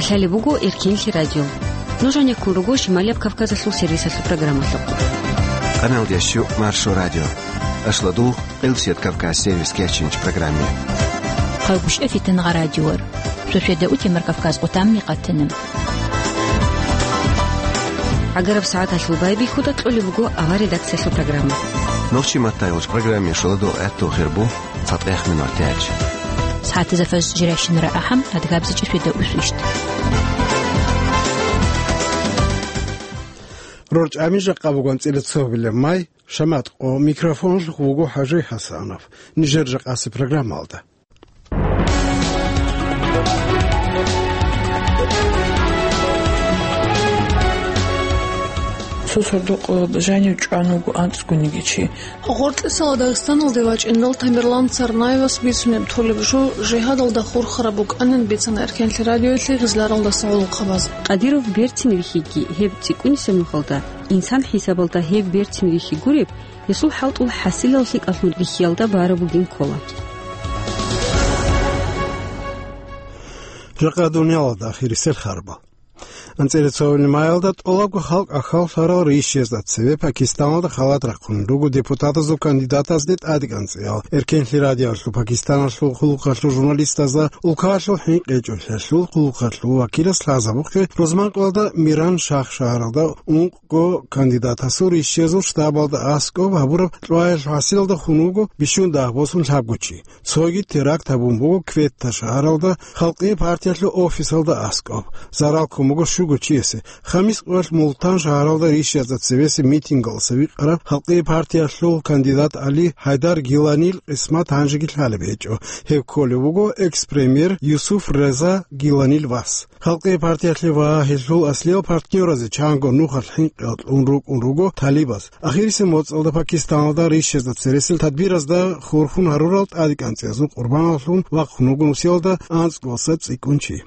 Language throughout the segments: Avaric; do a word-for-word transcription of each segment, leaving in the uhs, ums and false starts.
Лъалеб буго Эркенлъи радио. Нуж гьанеккун руго Шималияб Кавказалъул сервисалъул программалъухъ. Къаналдияс щу Маршо радио. Ашладул Къилсият Кавказ сервис кечинч программе. Хъалгушев Фитангъа радиор. Шошведа утемар Кавказ къутамни къатана. ГӀагараб сагӀаталъул байбихьуда кьолеб буго авар редакциялъул программа. Нохчи маттайулч программе шоладул гӀаттул хирбу. Цадахъ минор тяч. СагӀатазда фаз жиращинара ахӀам, адгабзичӀ шведа усвищт. РорчӀами жакъа буган цӀила цогьбилеб май, шаматкъо микрофонлъухъ вуго ХӀажи ХӀасанов. Нижер жакъаси программалда. Цо сордо-къоялда жанив чӀван вуго анцӀгониги чи. Гъоркьисала Дагъистаналде вачӀиндал Тамерлан Царнаевас бицунеб толеб жо жигьадалда хурхараб букӀанин бицана Эркенлъи радиоялъе гъизларалдаса гӀолохъабаз. Кадиров берцин вихьиги, гьеб цӀикӀкӀунисеб нухалда, инсан хӀисабалда гьеб берцин вихьи гуреб, гьесул хӀалтӀул хӀасилал лъикӀалъун рихьиялда бараб бугин ккола. Жакъа дуниялалда ахирисел харбал. АнцӀила цогьабилеб маялда тӀолабго халкъ ахьаллъарал рейсчезда цеве Пакистаналда халат рахъун руго депутатазул кандидатазде тӀадекӀанцӀиял. Эркенлъи радиоялъул Пакистаналъул хъулухъалъул журналистазда улкаялъул хӀинкъичӀолъиялъул хъулухъалъул вакилас лъазабухъе рузманкъоялда Миран Шагь шагьаралда ункъго кандидатасул рейсчезул штабалда аскӀоб гьабураб кьваялъул хӀасилалда хун вуго бищун дагь босун лъабго чи. Цоги теракт гьабун буго Кветта шагьаралда Халкъи партиялъул офисалда аскӀоб. Зарал ккун буго щуго чиясе. Хамис къоялъ Мултан шагьаралда рейсчезда цевеси митингалдаса викъараб Халкъи партиялъул кандидат Али Гьайдар Гиланил къисмат гьанжеги лъалеб гьечӀо. Гьев кколев вуго экс-премьер Юсуф Реза Гиланил вас. Халкъи партиялъе ва гьелъул аслиял партнёразе чанго нухалъ хӀинкъи кьун рукӀун руго талибаз. Ахирисеб моцӀалда Пакистаналда рейсчезда цересел тадбиразда хурхун гьарурал тӀадекӀанцӀиязул къурбаналлъун вахъун вуго нусиялда анцӀгоялдаса цӀикӀкӀун чи.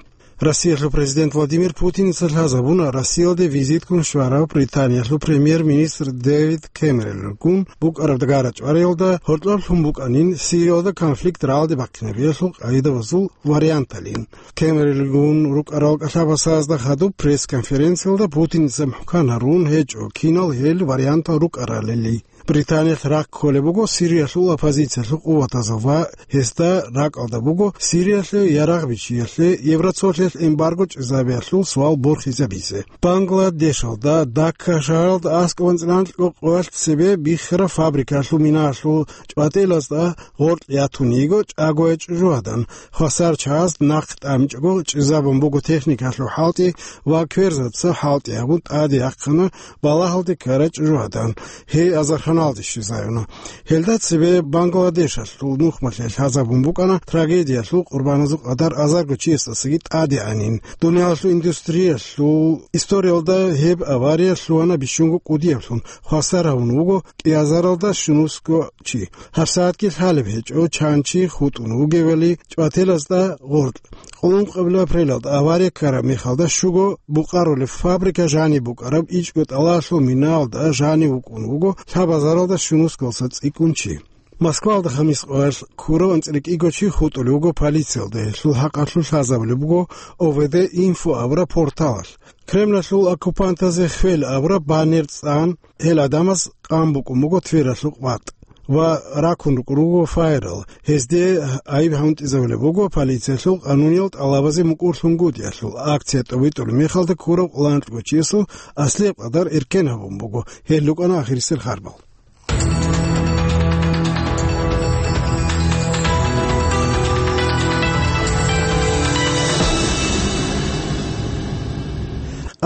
Россиялъул президент Владимир Путиница лъазабуна Россиялде визитккун щварав Британиялъул премьер-министр Дэвид Кэмеронгун букӀараб гара-чӀвариялда гьоркьоб лъун букӀанин Сириялда конфликт рагӀалде бахъинабиялъул къагӀидабазул варианталин. Кэмеронгун рукӀарал кӀалъабасазда хадуб пресс-конференциялда Путиница мухӀкан гьарун гьечӀо кинал гьел вариантал рукӀаралили. Британиялъ рахъ кколеб буго Сириялъул оппозициялъул къуватазул ва гьезда ракӀалда буго Сириялъе ярагъ бичиялъе Евроцолъиялъ эмбарго чӀезабиялъул суал борхизабизе. Бангладешалда Дакка шагьаралда аскӀобан цӀинанлъго къоялъ цебе биххараб фабрикалъул минаялъул чӀватӀелазда гъоркь ятун йиго чӀагояй чӀужугьадан. Хвасар чагӀаз нахъ тӀамичӀого чӀезабун буго техникалъул хӀалтӀи ва кверзаца хӀалтӀи гьабун тӀаде яхъана балагьалде ккарай чӀужугьадан. Гьей азарханалде щвезавуна. Гьелда цебе Бангладешалъул нухмалъе лъазабун букӀана трагедиялъул къурбаназул къадар азарго чиясдасаги тӀадегӀанин. Дуниялалъул индустриялъул историялда гьеб авария лъугьана бищунго кӀудияблъун, хвасар гьавун вуго кӀиазаралда щунусго чи. ГьабсагӀатги лъалеб гьечӀо чан чи хутӀун вугевали чӀвателазда гъоркь. Къуллукъабилеб апрелалда авария ккараб мехалда щуго букъарулеб фабрика жаниб букӀараб ичӀго тӀалалъул минаялда жанив вукӀун вуго лъабазаралда щунусгалъа цӀикӀкӀун чи. Москвалда хамис къоялъ ккурав анцӀила кӀиго чи хутӀулев вуго полициялда, гьелъул хӀакъалъулъ лъазабулеб буго О В Д Инфо абураб порталалъ. Кремлалъул оккупантазе хвел абураб баннер цӀан, гьел гӀадамаз къан букӀун буго Твералъул къватӀ ва ракун рукӀун руго файерал. Гьезде гӀайиб гьантӀизабулеб буго полициялъул къануниял тӀалабазе мукӀурлъунгутӀиялъул. Акция тӀобитӀулеб мехалда ккурав кӀалъанчӀго чиясул аслияб къадар эркен гьабун буго. Гьел рукӀана ахирисел харбал.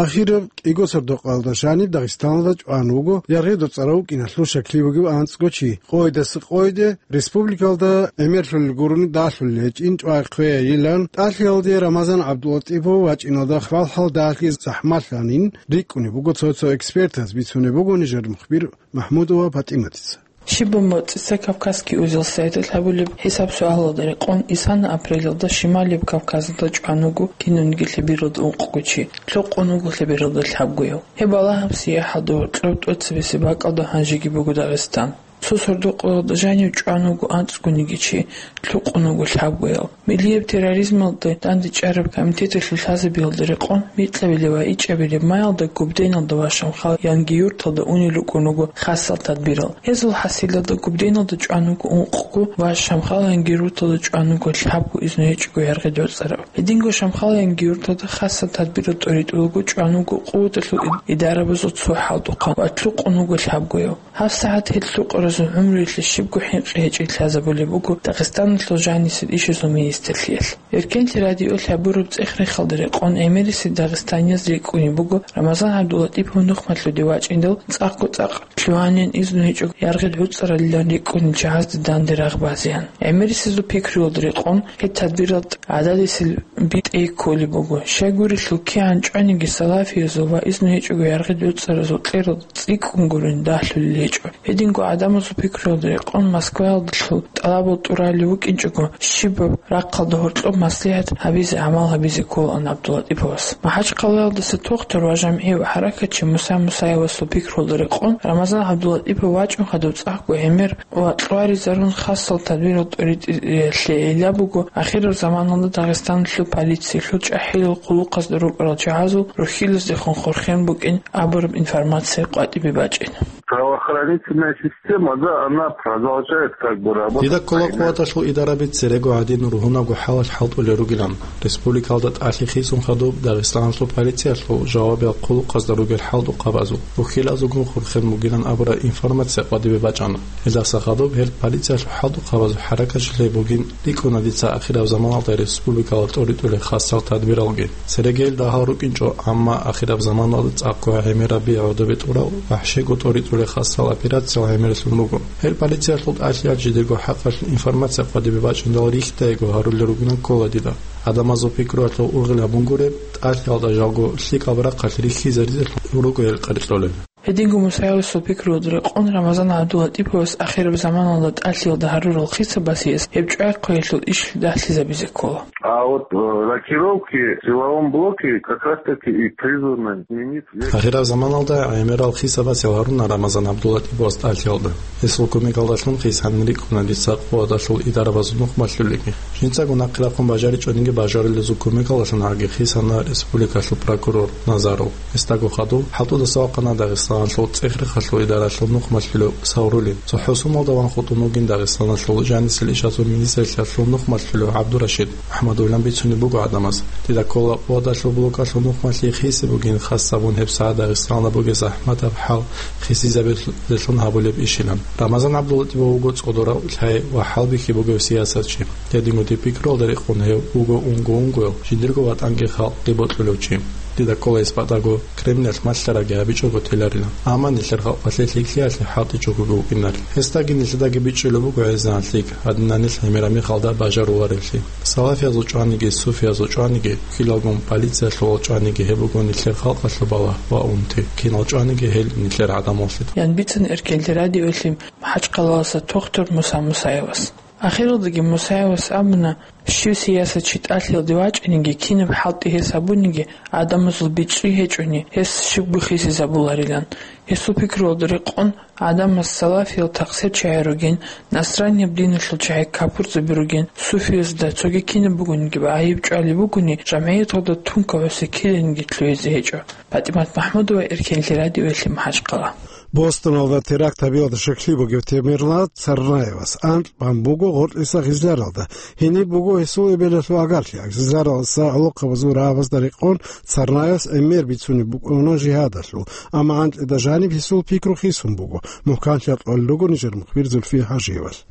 Ахираб кӀиго сордо-къоялда жаниб Дагъистаналда чӀван вуго яргъи доцӀарав вукӀиналъул щаклъи бугев анцӀго чи. Къойдаса къойде республикалда гӀемерлъулел гурони далъулел гьечӀин чӀвай хъвейилан, ТӀалъиялде Рамазан ГӀабдулатӀипов вачӀиналда хвалхӀал дагьлъи захӀмалъанин рикӀкӀунеб буго цо-цо экспертаз, бицунеб буго нижер мухбир МахӀмудова ПатӀиматица. Щибаб моцӀица «Кавказский узел» сайталъ гьабулеб гьисаб-суалалда рекъон, исана апрелалда Шималияб Кавказалда чӀван вуго кинавниги лъебералда ункъго чи, лъукъун вуго лъебералда лъабгояв. Гьеб балагьаб сияхӀалда гьоркьоб тӀоцебесеб бакӀалда гьанжеги буго Дагъистан. Цо сордо-къоялда жанив чӀван вуго анцӀгониги чи, лъукъун вуго лъабгояв. Миллияб терроризмалда дандечӀараб комитеталъул лъазабиялда рекъон, микьабилеб ва ичӀабилеб майялда Губденалда ва Шамхал Янгиюрталда унел рукӀун руго хасал тадбирал. Гьезул хӀасилалда Губденалда чӀван вуго ункъго ва Шамхал Янгиюрталда чӀван вуго лъабго изну гьечӀого яргъи гӀуцӀарав. Гьединго Шамхал Янгиюрталда хасал тадбирал тӀоритӀулаго чӀван вуго къуваталъул ид-, идарабазул цо хӀалтӀухъан ва лъукъун вуго лъабгояв. ГьабсагӀат гьел лъукъаразул гӀумруялъе щибго хӀинкъи гьечӀей лъазабулеб буго Дагъистаналъул жанисел ишазул министрлъиялъ. Эркенлъи радиоялъ гьабураб цӀех-рехалда рекъон гӀемерисел дагъистанияз рикӀкӀунеб буго Рамазан ГӀабдуллатӀипов нухмалъуде вачӀиндал цӀакъго-цӀакъ лъугьанин изну гьечӀого яргъи гӀуцӀаралилан рикӀкӀунел чагӀазда данде рагъ базеян. ГӀемерисезул пикруялда рекъон, гьеб тадбирал гӀададисел битӀей кколеб буго. Щайгурелъул кигӀан чӀваниги салафиязул ва изну гьечӀого яргъи гӀуцӀаразул кьерал цӀикӀкӀун гурин дагьлъулел гьечӀо. Гьединго гӀадамазул пикруялда рекъон Москваялдалъул тӀалабал тӀуралев вукӀинчӀого, щибаб рахъалда гьоркьоб маслигӀат гьабизе гӀамал гьабизе кколаан ГӀабдуллатӀиповас. МахӀачхъалаялдаса тохтар ва жамгӀи ва хӀаракатчи Муса Мусаевасул пикруялда рекъон, Рамазан ГӀабдуллатӀипов вачӀун хадуб цӀакъго гӀемер ва кьваризарун хасал тадбирал тӀоритӀиялъе гӀилла буго ахираб заманалда Дагъистаналъул полициялъул чӀахӀиял хъулухъазда рукӀарал чагӀазул рухьилаздехун хурхен букӀин абураб информация къватӀибе бачӀин. Правоохранительная система, да, она продолжает как бы работать. Дида ккола къуваталъул идараби церего гьадин ругьунабго хӀалалъ хӀалтӀулел ругилан. Республикалда тӀалъи хисун хадуб Дагъистаналъул полициялъул жавабиял хъулухъазда ругел хӀалтӀухъабазул, рухьилазулгун хурхен бугилан абураб информация къватӀибе бачӀана. Гьелдаса хадуб гьел полициялъул хӀалтӀухъабазул хӀаракатчилъи бугин рикӀкӀуна дица ахираб заманалда республикалда тӀоритӀулел хасал тадбиралги. Церегел дагьал рукӀинчӀо, амма ахираб заманалда цӀакъго гӀемераб гӀодобе тӀурал вахӀшиго тӀоритӀулел хасал операциял гӀемерисун буго. Гьел полициялъул тӀалъиялъ жидерго хӀакъалъулъ информация къватӀибе бачӀиндал рихьдаего гьарулел ругилан ккола дида. Гьадамазул пикруялъул ургъел гьабунгуреб, тӀалъиялда жалго лъикӀаб рахъалъ рихьизаризелъун руго гьел къеркьолел. Гьединго Мусаевасул пикруялда рекъон Рамазан ГӀабдуллатӀиповас ахираб заманалда тӀалъиялда гьарурал хисабасияс гьеб чӀвай-хъваялъул иш дагьлъизабизе ккола. А вот, э, рокировки в силовом блоке как раз-таки и призваны сменить весь... Ахираб заманалда гӀемерал хисабасел гьаруна Рамазан ГӀабдуллатӀиповас тӀалъиялда. Гьесул кумекалдалъун хисанин рикӀкӀуна дица къуваталъул идарабазул нухмалъулеги. Жинцаго нахъе рахъун бажаричӀониги бажарулезул кумекалдалъун гьаги хисана республикалъул прокурор Назаров. Гьесдаго хадуб хӀалтӀудаса вахъана Дагъистаналъул цӀех-рехалъул идаралъул нухмалъулев Саврулин. ЦохӀо сумалда ван хутӀун вугин Дагъистаналъул жанисел ишазул министрлъиялъул нухмалъулев ГӀабдурашид МухӀаммадовилан бицунеб буго гӀадамаз. Дида ккола къуваталъул блокалъул нухмалъи хисеб бугин, хас абун гьебсагӀат Дагъистанда бугеб захӀматаб хӀал хисизабилелъун гьабулеб ишилан. Рамазан ГӀабдуллатӀипов вуго цӀодорав лъай ва хӀалбихьи бугев сиясатчи. Гьединго дир пикруялда рекъон гьев вуго унго-унгояв, жиндирго ватӀанги халкъги бокьулев чи. Дида ккола гьес батӀаго Кремлялъ малъарабги гьабичӀого теларила, амма нилъер халкъалъе лъикӀлъиялъе хӀалтӀичӀого вукӀинарила. Гьесдаги нилъедаги бичӀчӀулеб буго гӀезегӀан лъикӀ, гьадинанилъ гӀемераб мехалда бажаруларевлъи. Салафиязул чӀваниги, суфиязул чӀваниги, хьилагун полициялъул чӀваниги гьеб буго нилъер халкъалъул балагь ва унти, кинал чӀваниги гьел нилъер гӀадамаллъи. Ян бицана Эркенлъи радиоялъе МахӀачхъалаласа тохтур Муса Мусаевас. Ахиралдаги Мусаевас абуна, щив сиясатчи тӀалъиялде вачӀаниги, кинаб хӀалтӀи гьес гьабуниги, гӀадамазул бичӀчӀи гьечӀони, гьес щибго хисизабуларилан. Гьесул пикруялда рекъон, гӀадамаз салафиял такъсир чагӀи ругин, насранияб диналъул чагӀи капурзаби ругин, суфиязда цоги кинаб бугониги гӀайиб чӀвалеб бугони, жамгӀияталда тункаб гӀуси киданиги лъугьизе гьечӀо. ПатӀимат МахӀмудова, Эркенлъи радиоялъе МахӀачхъала. Бостоналда теракт гьабиялда щеклъи бугев Тамерлан Царнаевас анкь бан буго гъоркьиса Гъизляралда. Гьениб буго гьесул эбелалъул гӀагарлъи. Гъизляралдаса гӀолохъабазул рагӀабазда рекъон Царнаевас гӀемер бицунеб букӀуна жигьадалъул, амма анкьида жаниб гьесул пикру хисун буго. Мухь-канлъи кьолел руго нижер мухбир Зульфия ХӀажиевалъ.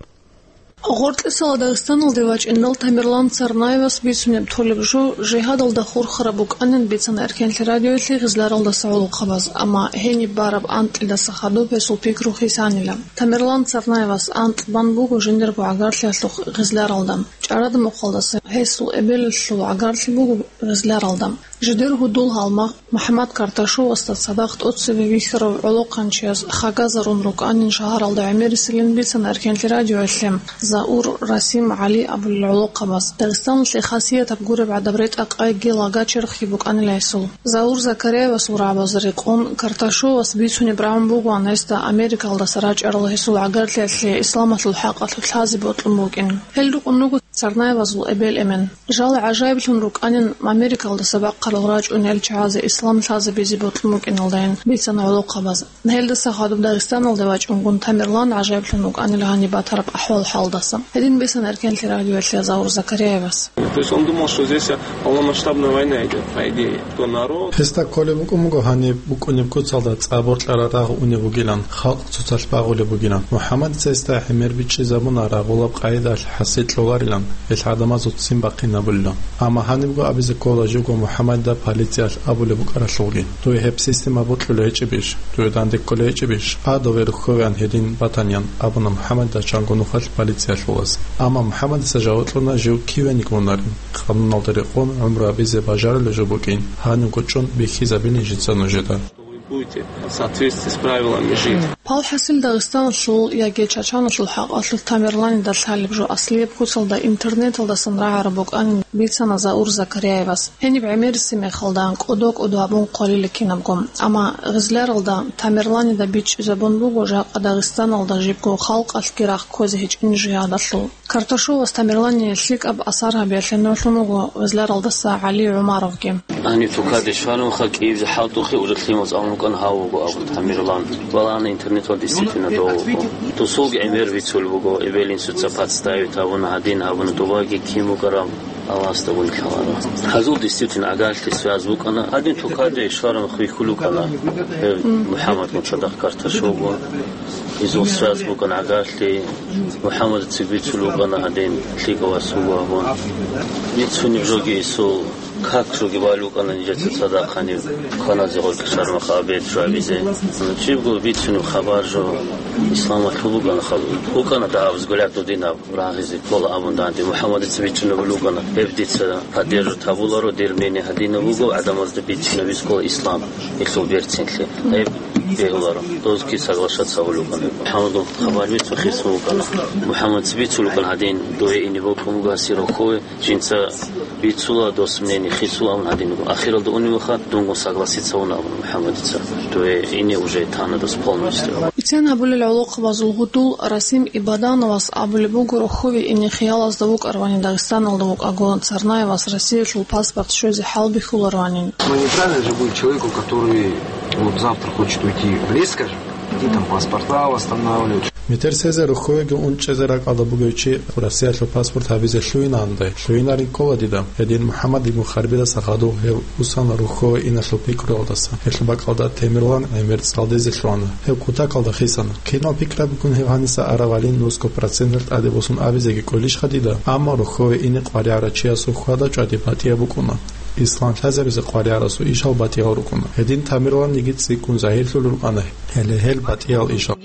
Гъоркьисала Дагъистаналде вачӀиндал Тамерлан Царнаевас бицунеб толеб жо жигьадалда хурхараб букӀанин бицана Эркенлъи радиоялъе Гъизляралдаса гӀолохъабаз, амма гьениб бараб анкьидаса хадуб гьесул пикру хисанила. Тамерлан Царнаевас анкь бан буго жиндирго гӀагарлъиялъухъ Гъизляралда. ЧӀарадамухъалдаса гьесул эбелалъул гӀагарлъи буго Гъизляралда. Жидер гьудул-гьалмагъ МухӀаммад Карташовасда цадахъ тӀоцебе вихьарав гӀолохъанчияс хагазарун рукӀанин шагьаралда гӀемерисилин бицана Эркенлъи радиоялъе Заур Расим ГӀали абулел гӀолохъабаз. Дагъистаналъе хасиятаб гуреб гӀадаб ретӀа-къайги лага-черхги букӀанила гьесул. Заур Закаряевасул рагӀабазда рекъон, Карташовас бицунеб рагӀун бугоан гьесда Америкалдаса рачӀарал гьесул гӀагарлъиялъе исламалъул хӀакъалъулъ лъазе бокьун букӀин. Гьел рукӀун руго Царнаевазул эбел-эмен. Жал гӀажаиблъун рукӀанин Америкалдаса бахъарал рачӀунел чагӀазе ислам лъазабизе бокьун букӀиналдайин бицана гӀолохъабаз. Гьелдаса хадуб Дагъистаналде вачӀунгун Тамерлан гӀажаиблъун вукӀанил гьаниб батараб ахӀвал-хӀалдаса. Гьедин бицана Эркенлъи радиоялъе Заур Закаряевас. То есть он думал, что здесь полномасштабная война идет, по идее. То народ. Гьесда кколеб букӀун буго гьаниб букӀунеб куцалда цӀа боркьараб рагъ унеб бугилан, халкъ цоцалъ багъулеб бугилан. МухӀаммадица гьесда гӀемер бичӀчӀизабуна рагъулаб къагӀидалъ хӀасил кьоларилан, гьелъ гӀадамазул ццин бахъинабулилан. Амма гьанибго абизе ккола живго МухӀаммадида полициялъ абулеб букӀаралъулги: «Дуе гьеб система бокьулеб гьечӀебищ? Дуе данде кколеб гьечӀебищ? А дове рухьовеян гьедин батаниян», — абуна МухӀаммадида чанго нухалъ полициялъулас. Амма МухӀаммадица жаваб кьуна жив киве никӀунарин. Къануналда рекъон гӀумру гьабизе бажарулеб жо букӀин, гьанибго чӀун бихьизабилин жинца нужеда. Будете в соответствии с правилами жить. Палхасил Дагъистаналъул яги Чачаналъул хӀакъалъулъ Тамерланида лъалеб жо аслияб куцалда интернеталдасан рагӀараб букӀанин бицана Заур Закаряевас. Гьениб гӀемериси мехалда кӀодо-кӀодо абун хъвалила кинабго. Амма гъизляралда Тамерланида бичӀчӀизабун буго жакъа Дагъистаналда жибго халкъалъги рахъ кквезе гьечӀин жигьадалъул. Карташовас Тамерлание лъикӀаб асар гьабиялъе нугӀлъун вуго гъизляралдаса ГӀали ГӀумаровги. Гьаниб тукаде щварабха кӀиябизе хӀалтӀухъе, уже лъимал цӀалун вукӀана гьав вуго абун Тамерлан. Валана интернеталда действительно дов вуго. Досулги гӀемер бицулеб буго, эбел-инсуца подставить гьабуна, гьадин гьабуна, добаги кин букӀараб Аллагьасда гун лъаларо. Гьазул действительно агарлъи связь букӀана. Гьадин тукаде щвараб хвихьул вукӀана. Гьев МухӀаммад мун цадахъ Карташовго. Изул связь букӀана агарлъи. МухӀаммадица бицул вукӀана гьадин лъикӀав вас вуго абун. Бицунеб жоги исул, как жоги бал вукӀана нижеца цадахъ гьаниб кваназе гъоркье шармахъ обед жо гьабизе. Жибго бицунеб хабар жо исламалъул букӀана хабар. БукӀана дагьаб взгляд дудинаб рагъизе ккола абун данде. МухӀаммадица бичӀчӀунеб вукӀана, гьеб дица поддерживать гьабуларо, дир мнение гьадинаб буго, гӀадамазда бичӀчӀунеб ккола ислам, гьелъул берцинлъи. Гьеб бегьуларо. Дозги соглашаться гьавулев вукӀана. МухӀаммадул хабар бицун хисун вукӀана. МухӀаммадица бицулев вукӀана гьадин, дуе ине бокьун буго гьасир рохьове, жинца бицула, дос мнение хисула абун гьадин вукӀана. Ахиралда унев ваха, дунгун согласиться вуна абун МухӀаммадица. Дуе ине уже тана дос полностью. Бицен гьабулел гӀолохъабазул гьудул Расим Ибадановас абулеб буго рохьове ине хиялазда вукӀаравани Дагъистаналда вукӀаго, Царнаевас Россиялъул паспорт щвезе хӀалбихьуларавани. Ну, неправильно же будет человеку, который вот завтра хочет уйти в лес, скажем, и там паспорта восстанавливать. Метер сезе рухьовеги ун чӀезе ракӀалда бугев чи Россиялъул паспорт гьабизе лъугьинанде, лъугьинарин ккола дида. Гьедин МухӀаммад ибн Харбидаса хадув гьев усана рухьове иналъул пикруялдаса. Гьелъул бакӀалда Тамерлан гӀемер цӀалдезе лъугьана. Гьев кутакалда хисана. Кинал пикраб букӀун гьев гьаниса аравалин нусго проценталъ тӀаде босун абизеги кӀолищха дида, амма рухьове ине къваригӀарав чиясул хьвада-чӀвади батӀияб букӀуна. Ислам лъазабизе къваригӀарасул ишал батӀиял рукӀуна. Гьедин Тамерланниги цӀикӀкӀун загьирлъулел рукӀана, гьеле гьел батӀиял ишал.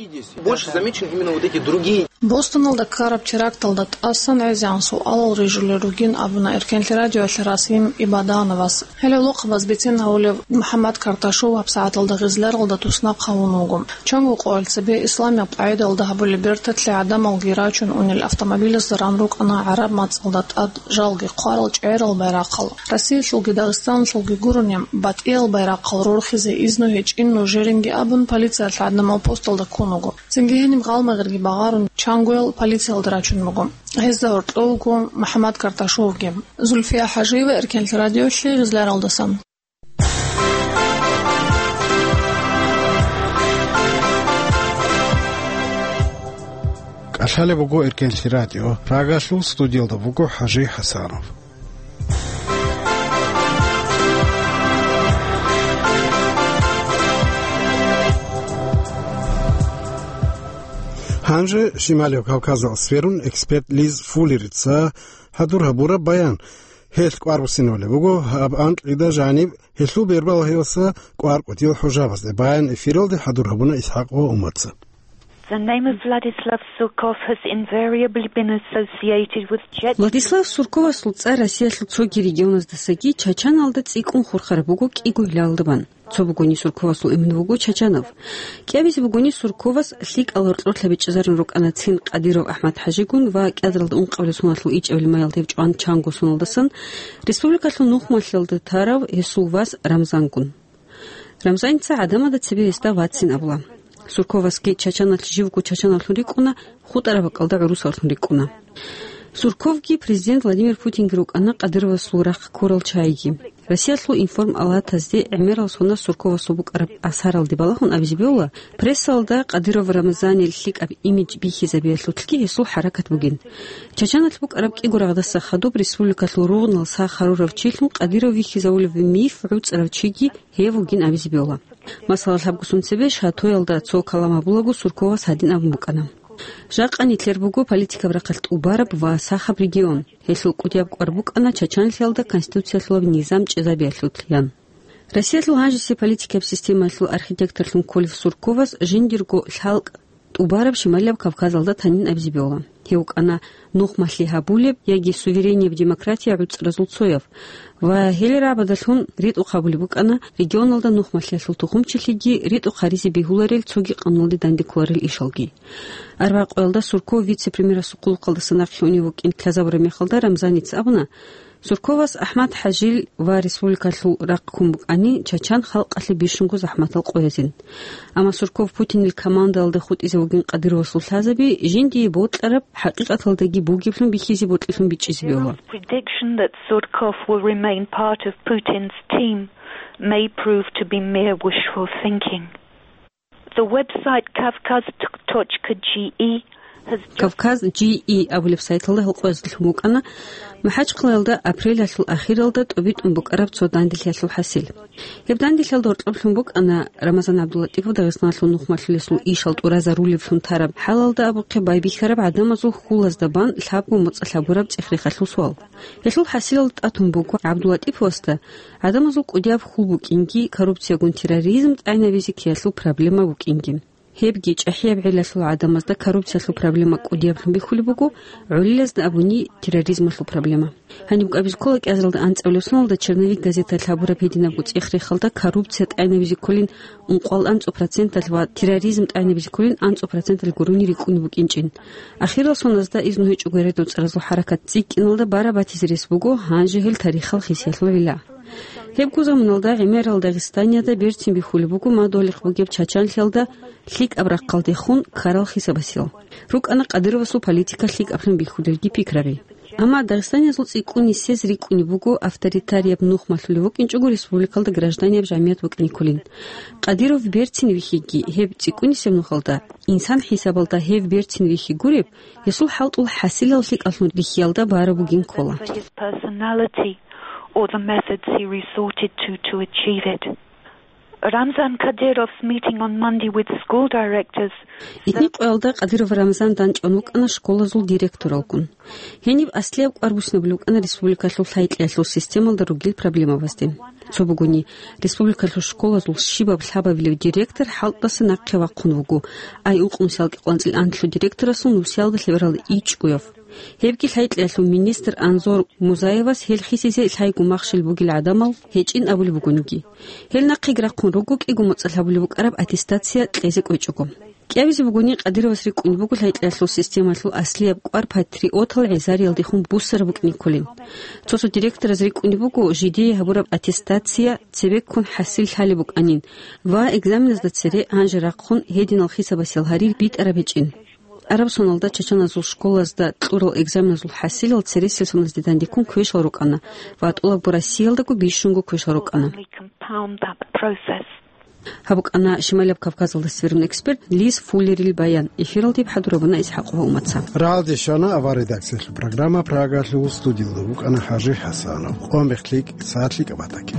Больше замечены именно вот эти другие. Бостоналда ккараб теракталда тӀасан гӀезегӀан суалал рижулел ругин абуна Эркенлъи радиоялъе Расим Ибадановас. Гьеле гӀолохъабаз бицен гьавулев МухӀаммад Карташов гьабсагӀаталда гъизляралда туснахъ гьавун вуго. Чанго къоялъ цебе исламияб къагӀидалда гьабулеб берталъе гӀадамалги рачун унел автомобилазда ран рукӀана гӀараб мацӀалда тӀад жалги хъварал чӀегӀерал байрахъал. Россиялъулги Дагъистаналъулги гурони батӀиял байрахъал рорхизе изну гьечӀин нужеринги абун, полициялъ гӀадамал посталда ккун вуго. Цинги гьениб гъалмагъирги багъарун, чангоял полициялда рачун буго. Гьезда гьоркьов вуго МухӀаммад Карташовги. Зульфия ХӀажиева, Эркенлъи радиолъи, Гъизляралдасан. КӀалъалеб буго Эркенлъи радио. Прагалъул студиялда буго ХӀажи ХӀасанов. Гьанже Шималияб Кавказалъ сверун, эксперт Лиз Фуллерица хӀадур гьабураб баян. Гьелъ кӀвар буссинабулеб буго, гьаб анкьида жаниб гьелъул бербал гьелса кӀвар кӀудиял хӀужабазде баян эфиралде хӀадур гьабуна ИсхӀакъ ва Умарца. The name of Vladislav Surkov has invariably been associated with Chechnya. Владислав Сурковасул цӀар Россиялъул цоги регионаздасаги Чачаналда цӀикӀкӀун хурхараб буго кӀиго гьалалда бан. Цо бугони Сурковасул эмен вуго Чачанав. КӀиабизе бугони Сурковас лъикӀал гьоркьор лъабичӀезарун рукӀана цин Къадиров АхӀмад-ХӀажигун ва кӀиазаралда ункъабилеб соналъул ичӀабилеб майялда гьев чӀван чанго соналдасан республикалъул нухмалъиялда тарав гьесул вас Рамзангун. Рамзаница гӀадамазда цебе гьесда вацин абула. Сурковасги Чачаналъ живго чачанавлъун рикӀкӀуна, хутӀараб бакӀалда гӀурусавлъун рикӀкӀуна. Сурковги президент Владимир Путинги рукӀана Къадыровасул рахъ ккурал чагӀиги. Россиялъул информалатазде гӀемерал соналъ Сурковасул букӀараб асаралде балагьун абизе бегьула, прессалда Къадыров Рамзанил лъикӀаб имидж бихьизабиялъулъги гьесул хӀаракат бугин. Чачаналъ букӀараб кӀиго рагъдаса хадуб республикалъул ругънал сах гьарурав чилъун Къадыров вихьизавулев миф гӀуцӀарав чиги гьев вугин абизе бегьула. Масала, лъабго сон цебе Шатоялда цо калам гьабулаго Сурковас гьадин абун букӀана: «Жакъа нилъер буго политикаб рахъалъ тӀубараб ва сахаб регион. Гьелъул кӀудияб кӀвар букӀана чачанлъиялда конституциялъулаб низам чӀезабиялъулъ», – ян. Россиялъул гьанжесе политикаб системаялъул архитекторлъун кколев Сурковас жиндирго лъалкӀ тӀубараб Шималияб Кавказалда танин абизе бегьула. Гьев вукӀана нухмалъи гьабулеб яги суверенияб демократия гӀуцӀразул цояв ва гьел рагӀабадалъун ритӀухъ гьабулеб букӀана регионалда нухмалъиялъул тухумчилъиги ритӀухъ гьаризе бегьуларел цоги къануналде дандеккуларел ишалги. Арбагъ къоялда Сурков вице-премьерасул хъулухъалдаса нахъе унев вукӀин лъазабураб мехалда Рамзаница абуна, Сурковас АхӀмад-ХӀажил ва республикалъул рахъ ккун букӀани, чачан халкъалъе бищунго захӀматал къоязин. Амма Сурков Путинил командаялда хутӀизе вугин Къадыровасул лъазаби жиндие бокьараб, хӀакъикъаталдаги бугеблъун бихьизе бокьилъун бичӀчӀизе бегьула. Prediction that Surkov will remain part of Putin's team may prove to be mere wishful thinking. The website Kavkaz точка G E has just Кавказ G E абулеб сайталда гьал къоязда лъун букӀана МахӀачхъалаялда апрелалъул ахиралда тӀубитӀун букӀараб цо данделъиялъул хӀасил. Гьеб данделъиялда гьоркьоб лъун букӀана Рамазан ГӀабдуллатӀипов Дагъистаналъул нухмалъулесул ишал тӀуразарулевлъун тараб хӀалалда абухъе байбихьараб гӀадамазул хьулазда бан лъабго моцӀалъ гьабураб цӀех-рехалъул суал. Гьелъул хӀасилалда тӀатун буго ГӀабдуллатӀиповасда гӀадамазул кӀудияб хьул букӀинги, коррупциягун терроризм тӀагӀинабизе ккеялъул проблема букӀинги. Гьебги чӀахӀияб гӀиллалъул гӀадамазда коррупциялъул проблема кӀудияблъун бихьулеб буго, гӀолилазда абуни терроризмалъул проблема. Гьаниб кӀабиз ккола кӀиазаралда анцӀабилеб соналда «Черновик» газеталъ гьабураб гьединабго цӀех-рехалда коррупция тӀагӀинабизе кколин ункъоялда анцӀу проценталъ ва терроризм тӀагӀинабизе кколин анцӀу проценталъ гурони рикӀкӀунеб букӀинчӀин. Ахирал соназда изну гьечӀого гьередул цӀаразул хӀаракат цӀикӀкӀиналда бараб батизе рес буго, гьанже гьел тарихалъ хисиялъул гӀилла. Гьебго заманалда гӀемерал Дагъистаниялда берцин бихьулеб буго мадугьалихъ бугеб чачанлъиялда лъикӀаб рахъалдехун ккарал хисабасел. РукӀана Къадыровасул политика лъикӀаблъун бихьулелги пикраби. Амма дагъистаниязул цӀикӀкӀун нисез рикӀкӀунеб буго авторитарияб нухмалъулев вукӀинчӀого республикалда гражданияб жамият букӀине кколин. Къадиров берцин вихьиги, гьеб цӀикӀкӀунисеб нухалда, инсан хӀисабалда гьев берцин вихьи гуреб, гьесул хӀалтӀул хӀасилал лъикӀаллъун рихьиялда бараб бугин ккола. His personality or the methods he resorted to to achieve it. Ramzan Kadyrov's meeting on Monday with school directors. Итни къоялда Къадиров Рамзан данчӀван вукӀана школазул директоралгун. Гьениб аслияб кӀвар буссинабулеб букӀана республикалъул лъай-кьеялъул системалда ругел проблемабазде. Цо бугони, республикалъул школазул щибаб лъабабилев директор хӀалтӀаса нахъе вахъун вуго, ай ункънусиялда кӀикъоялда анлъго директорасул нусиялда лъебералда ичӀгояв. Гьебги лъай-кьеялъул министр Анзор Музаевас гьел хисизе лъайгун махщел бугел гӀадамал гьечӀин абулеб бугониги. Гьел нахъеги рахъун руго кӀиго моцӀалъ гьабулеб букӀараб аттестация кьезе кӀвечӀого. КӀиабизе бугони, Къадировас рикӀкӀунеб буго лъай-кьеялъул системалъул аслияб кӀвар патриотал гӀезариялдехун буссараб букӀине кколин. Цо-цо директораз рикӀкӀунеб буго жидее гьабураб аттестация цебеккун хӀасил лъалеб букӀанин ва экзаменазда цере гьанже рахъун гьединал хисабасел гьарир битӀараб гьечӀин. Араб соналда чачаназул школазда кьурал экзаменазул хӀасилал цересел соназде дандеккун квешал рукӀана ва тӀолабго Россиялдаго бищунго квешал рукӀана. Compound that process. Гьаб букӀана Шималияб Кавказалдаса цебе рун эксперт Лиз Фуллерил баян. Эфиралде хӀадурабуна ИсхӀакъова Умаца. Рагьалде щвана авар редакциялъул программа. Прагалъул студиялда вукӀана ХӀажи ХӀасанов. Къван бехъ лъикӀ, сагӀат лъикӀаб батаги.